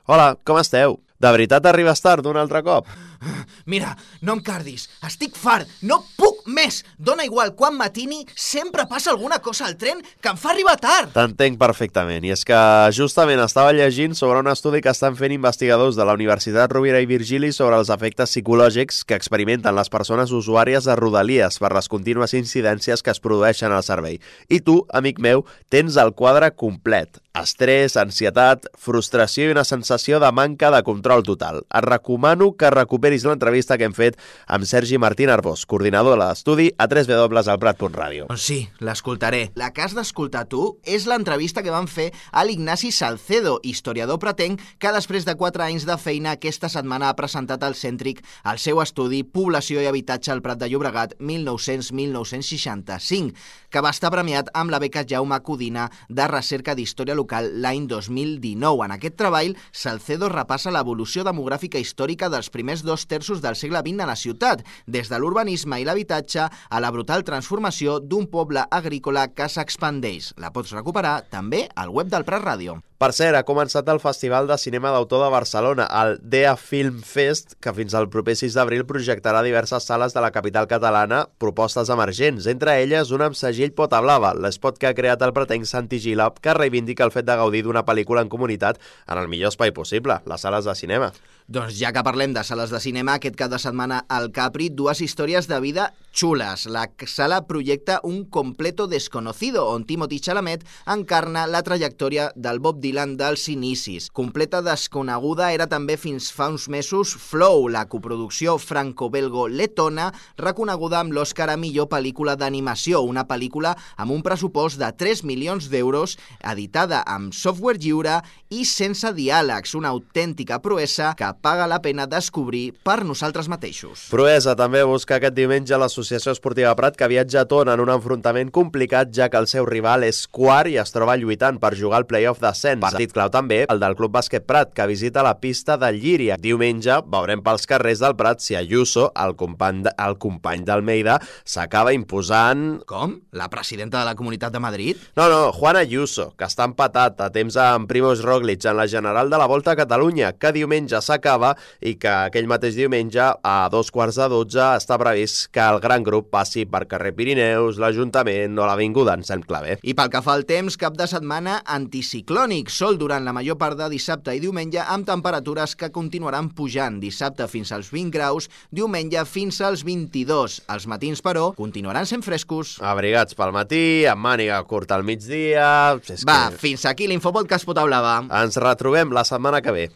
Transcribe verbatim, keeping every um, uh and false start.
Hola, com esteu? De veritat arribes tard un altre cop? Mira, no em cardis, estic fart, no puc més! Dóna igual quan matini, sempre passa alguna cosa al tren que em fa arribar tard! T'entenc perfectament, i és que justament estava llegint sobre un estudi que estan fent investigadors de la Universitat Rovira i Virgili sobre els efectes psicològics que experimenten les persones usuàries de Rodalies per les contínues incidències que es produeixen al servei. I tu, amic meu, tens el quadre complet. Estrès, ansietat, frustració i una sensació de manca de control total. Et recomano que recuperis l'entrevista que hem fet amb Sergi Martín Arbós, coordinador de l'estudi a w w w punt el prat punt ràdio. Sí, l'escoltaré. La que has d'escoltar tu és l'entrevista que van fer a l'Ignasi Salcedo, historiador pratenc, que després de quatre anys de feina aquesta setmana ha presentat al Cèntric el seu estudi Població i Habitatge al Prat de Llobregat mil nou-cents a mil nou-cents seixanta-cinc, que va estar premiat amb la beca Jaume Codina de Recerca d'Història Local l'any dos mil dinou. En aquest treball, Salcedo repassa l'evolució demogràfica històrica dels primers dos terços del segle vint a la ciutat, des de l'urbanisme i l'habitatge a la brutal transformació d'un poble agrícola que s'expandeix. La pots recuperar també al web del Prat Ràdio. Per cert, ha començat el Festival de Cinema d'Autor de Barcelona, el D E A Film Fest, que fins al proper sis d'abril projectarà diverses sales de la capital catalana propostes emergents, entre elles una amb segell Pota Blava, l'espot que ha creat el pratenc Santi Gila, que reivindica el fet de gaudir d'una pel·lícula en comunitat en el millor espai possible, les sales de cinema. Doncs ja que parlem de sales de cinema, aquest cap de setmana al Capri, dues històries de vida xules. La sala projecta Un completo desconocido, on Timothy Chalamet encarna la trajectòria del Bob Dylan dels inicis. Completa desconeguda era també fins fa uns mesos Flow, la coproducció franco-belgo-letona reconeguda amb l'Oscar a millor pel·lícula d'animació, una pel·lícula amb un pressupost de tres milions d'euros, editada amb software lliure i sense diàlegs, una autèntica proesa que paga la pena descobrir per nosaltres mateixos. Proesa també busca aquest diumenge l'Associació Esportiva Prat, que viatja a Tona en un enfrontament complicat, ja que el seu rival és quart i es troba lluitant per jugar al play-off d'ascens. Partit clau també el del Club Bàsquet Prat, que visita la pista de Llíria. Diumenge veurem pels carrers del Prat si Ayuso, el company, de, el company d'Almeida, s'acaba imposant... Com? La presidenta de la Comunitat de Madrid? No, no, Juan Ayuso, que està empatat a temps amb Primož Roglič en la general de la Volta a Catalunya, que diumenge s'acaba i que aquell mateix diumenge a dos quarts de dotze està previst que el gran grup passi per carrer Pirineus, l'Ajuntament o l'Avinguda en Sant Claver. I pel que fa al temps, cap de setmana anticiclònic, sol durant la major part de dissabte i diumenge amb temperatures que continuaran pujant, dissabte fins als vint graus, diumenge fins als vint-i-dos. Els matins, però, continuaran sent frescos. Abrigats pel matí, amb màniga curta al migdia... Va, que... fins aquí l'Infopodcast Pota Blava. Ens retrobem la setmana que ve.